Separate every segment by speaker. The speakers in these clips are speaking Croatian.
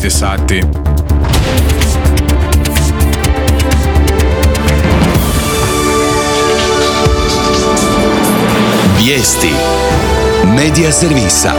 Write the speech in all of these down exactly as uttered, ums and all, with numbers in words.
Speaker 1: šest je sati.
Speaker 2: Vijesti Medija servisa.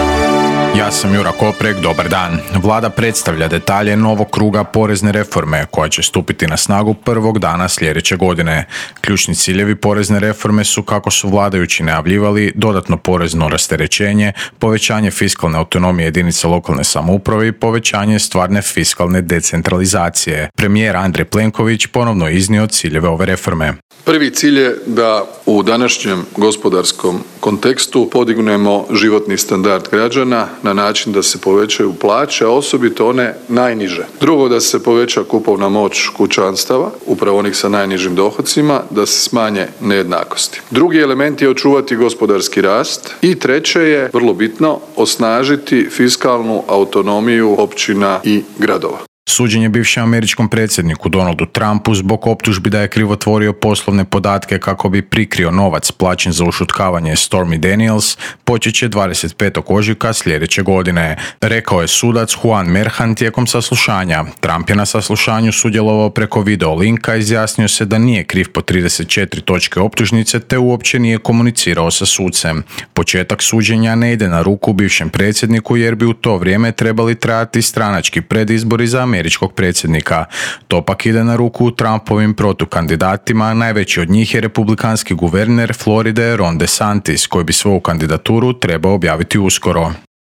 Speaker 1: Ja sam Jura Koprek, dobar dan. Vlada predstavlja detalje novog kruga porezne reforme koja će stupiti na snagu prvog dana sljedeće godine. Ključni ciljevi porezne reforme su, kako su vladajući najavljivali, dodatno porezno rasterećenje, povećanje fiskalne autonomije jedinica lokalne samouprave i povećanje stvarne fiskalne decentralizacije. Premijer Andrej Plenković ponovno je iznio ciljeve ove reforme.
Speaker 3: Prvi cilj je da u današnjem gospodarskom kontekstu podignemo životni standard građana na način da se povećaju plaće, a osobito one najniže. Drugo, da se poveća kupovna moć kućanstava, upravo onih sa najnižim dohocima, da se smanje nejednakosti. Drugi element je očuvati gospodarski rast i treće je, vrlo bitno, osnažiti fiskalnu autonomiju općina i gradova.
Speaker 1: Suđenje bivšem američkom predsjedniku Donaldu Trumpu zbog optužbi da je krivotvorio poslovne podatke kako bi prikrio novac plaćen za ušutkavanje Stormy Daniels počet će dvadeset petog ožujka sljedeće godine, rekao je sudac Juan Merchan tijekom saslušanja. Trump je na saslušanju sudjelovao preko video linka, izjasnio se da nije kriv po trideset četiri točke optužnice te uopće nije komunicirao sa sucem. Početak suđenja ne ide na ruku bivšem predsjedniku jer bi u to vrijeme trebali trajati stranački predizbori za američkog predsjednika. To pak ide na ruku Trumpovim protukandidatima, najveći od njih je republikanski guverner Floride Ron DeSantis, koji bi svoju kandidaturu trebao objaviti uskoro.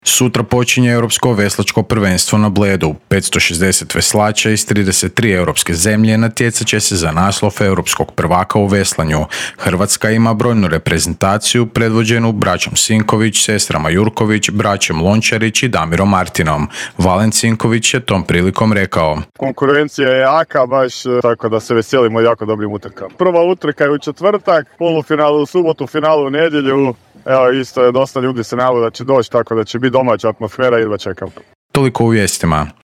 Speaker 1: Sutra počinje Europsko veslačko prvenstvo na Bledu. petsto šezdeset veslača iz trideset tri europske zemlje natjecat će se za naslov europskog prvaka u veslanju. Hrvatska ima brojnu reprezentaciju predvođenu braćom Sinković, sestrama Jurković, braćom Lončarić i Damirom Martinom. Valen Sinković je tom prilikom rekao:
Speaker 4: konkurencija je jaka, baš tako da se veselimo jako dobrim utrkama. Prva utrka je u četvrtak, polufinalu u subotu, finalu u nedjelju. Evo, isto je dosta ljudi se navode da će doći, tako da će biti domaća atmosfera i da čekam.
Speaker 1: Toliko u vijestima.